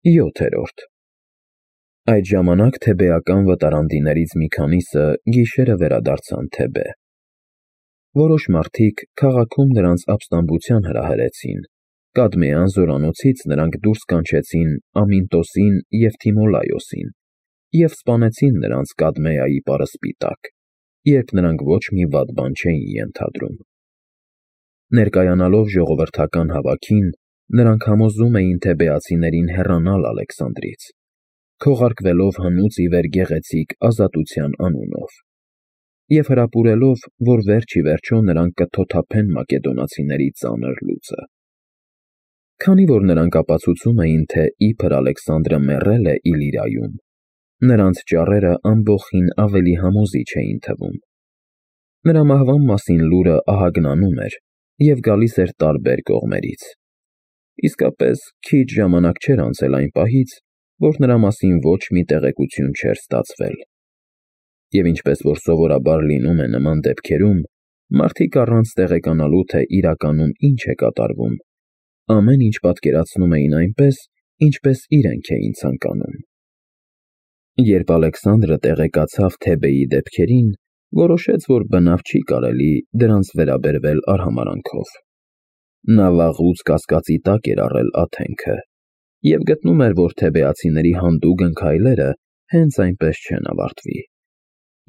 7-րդ Այդ ժամանակ թեբեական վտարանդիներից մի քանիսը գիշերը վերադարձան Թեբե։ Որոշ մարդիկ քաղաքում նրանց ապստամբության հրահրեցին, Կադմեան զորանոցից նրանք դուրս կանչեցին Ամինտոսին և Թիմոլայոսին և սպանեցին նրանց Կադմեայի պարսպի տակ, երբ նրանք ոչ մի վատ բան չէին ենթադրում։ Ներկայանալով ժողովրդական հավաքին, նրանք համոզում էին թեբեացիներին հեռանալ Ալեքսանդրից, քողարկվելով հնուց ի վեր գեղեցիկ Ազատության անունով, և հրապուրելով, որ վերջ ի վերջո նրանք կթոթափեն մակեդոնացիների ծանր լուծը։ Քանի որ նրանք ապացուցում էին, թե իբր Ալեքսանդրը մեռել է Իլիրիայում, նրանց ճառերը ամբոխին ավելի համոզիչ էին թվում։ Նրա մահվան մասին լուրը ահագնանում էր և գալիս էր տարբեր կողմերից։ Իսկապես, քիչ ժամանակ չէր անցել այն պահից, որ նրա մասին ոչ մի տեղեկություն չէր ստացվել։ Եվ ինչպես որ սովորաբար լինում է նման դեպքերում, մարդիկ առանց տեղեկանալու, թե իրականում ինչ է կատարվում, ամեն ինչ պատկերացնում էին այնպես, ինչպես իրենք էին ցանկանում։ Երբ Ալեքսանդրը տեղեկացավ Թեբեի դեպքերին, որոշեց, որ բնավ չի կարելի դրանց վերաբերվել արհամարհանքով։ Նա վաղուց կասկածի տակ էր առել Աթենքը և գտնում էր, որ թեբեացիների հանդուգն քայլերը հենց այնպես չեն ավարտվի։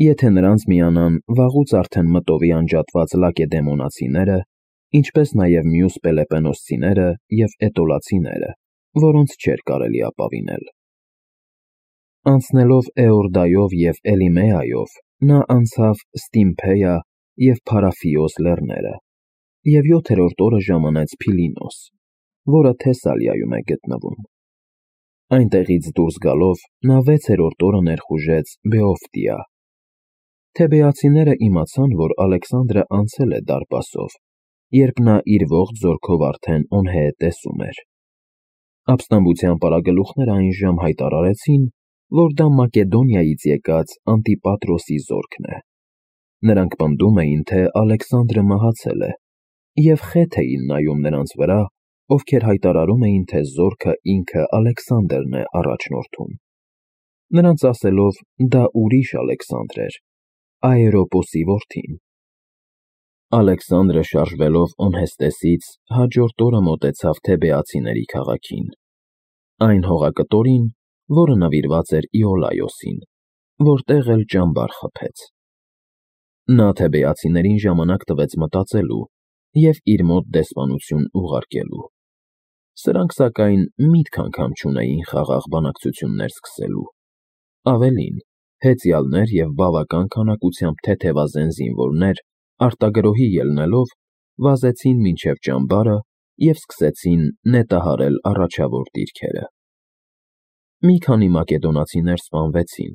Եթե նրանց միանան վաղուց արդեն մտովի անջատված լակեդեմոնացիները, ինչպես նաև մյուս պելեպոնոսցիները և էտոլացիները, որոնց չէր կարելի ապավինել։ Անցնելով Էորդայով և Էլիմեայով, նա անցավ Ստիմփեա և Փարաֆիոս լեռները և 7-րդ օրը ժամանեց Փիլինոս, որը Թեսալիայում է գտնվում։ Այնտեղից դուրս գալով, նա 6-րդ օրը ներխուժեց Բեոֆտիա։ Թեբեացիները իմացան, որ Ալեքսանդրը անցել է դարպասով, երբ նա իր ողջ զորքով արդեն Օնհեետեսում էր։ Ապստամբության պարագլուխները այնժամ հայտարարեցին, որ դա Մակեդոնիայից եկած Անտիպատրոսի զորքն է։ Նրանք պնդում էին, թե Ալեքսանդրը մահացել է, և խեթ էին նայում նրանց վրա, ովքեր հայտարարում էին, թե զորքը ինքը Ալեքսանդրն է առաջնորդում։ Նրանց ասելով, դա ուրիշ Ալեքսանդր էր, Աերոպոսի որդին։ Ալեքսանդրը շարժվելով Օնհեստեսից հաջորդ օրը մոտեցավ թեբեացիների քաղաքին, այն հողակտորին, որը նվիրված էր Իոլայոսին, որտեղ էլ ճամբար խփեց։ Նա թեբեացիներին ժամանակ տվեց մտածելու և իր մոտ դեսպանություն ուղարկելու։ Սրանք, սակայն, միտք անգամ չունեին խաղաղ բանակցություններ սկսելու։ Ավելին, հեծյալներ և բավական քանակությամբ թեթևազեն զինվորներ արտագրոհի ելնելով, վազեցին մինչև ճամբարը և սկսեցին նետահարել առաջավոր դիրքերը։ Մի քանի մակեդոնացիներ սպանվեցին։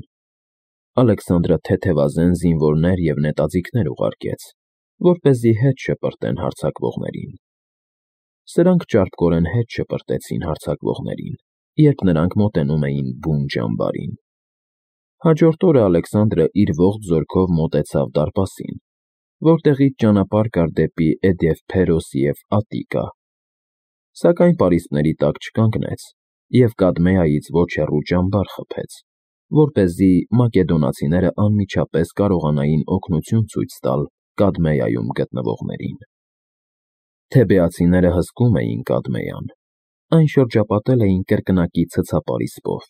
Ալեքսանդրը թեթևազեն զինվորներ և նետաձիգներ ուղարկեց, որպեսզի հետ շպրտեն հարձակվողներին։ Սրանք ճարպկորեն հետ շպրտեցին հարձակվողներին, երբ նրանք մոտենում էին բուն ճամբարին։ Հաջորդ օրը Ալեքսանդրը իր ողջ զորքով մոտեցավ դարպասին, որտեղից ճանապարհ կար դեպի Էդևփերոս և Ատիկա։ Սակայն պարիսպների տակ չկանգնեց և Կադմեայից ոչ հեռու ճամբար խփեց, որպեսզի մակեդոնացիները անմիջապես կարողանային օգնություն ցույց տալ Կադմեայում գտնվողներին։ Թեբեացիները հսկում էին Կադմեան, այն շրջապատել էին կրկնակի ցցապարիսպով,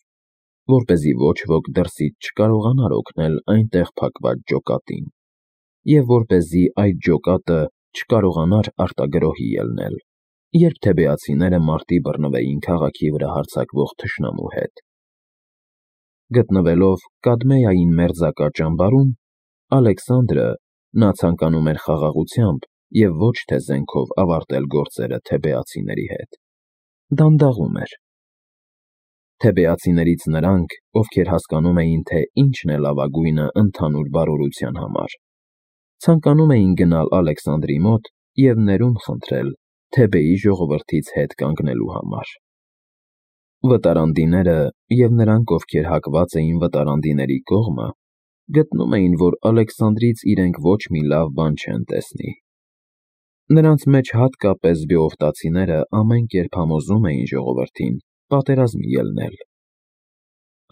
որպեսզի ոչ ոք դրսից չկարողանար օգնել այնտեղ փակված ջոկատին, և որպեսզի այդ ջոկատը չկարողանար արտագրոհի ելնել, երբ թեբեացիները մարտի բռնվեին քաղաքի վրա հարձակվող թշնամու հետ։ Գտնվելով Կադմեային մերձակա ճամբարում, Ալեքսանդրը, նա ցանկանում էր խաղաղությամբ և ոչ թե զենքով ավարտել գործերը թեբեացիների հետ, դանդաղում էր։ Թեբեացիներից նրանք, ովքեր հասկանում էին, թե ինչն է լավագույնը ընդհանուր բարօրության համար, ցանկանում էին գնալ Ալեքսանդրի մոտ և ներում խնդրել Թեբեի ժողովրդից հետ կանգնելու համար։ Վտարանդիները և նրանք, ովքեր հակված էին վտարանդիների կողմը, գտնում էին, որ Ալեքսանդրից իրենք ոչ մի լավ բան չեն տեսնի։ Նրանց մեջ հատկապես բեովտացիները ամեն կերպ համոզում էին ժողովրդին, պատերազմ ելնել։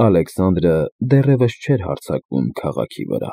Ալեքսանդրը դեռևս չէր հարձակվում քաղաքի վրա։